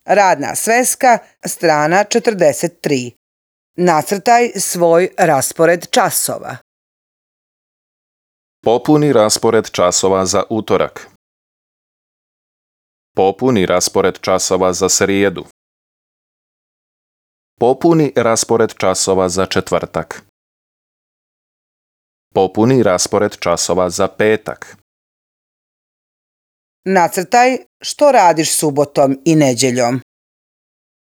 Radna sveska, strana 43. Nacrtaj svoj raspored časova. Popuni raspored časova za utorak. Popuni raspored časova za srijedu. Popuni raspored časova za četvrtak. Popuni raspored časova za petak. Nacrtaj što radiš subotom i nedjeljom.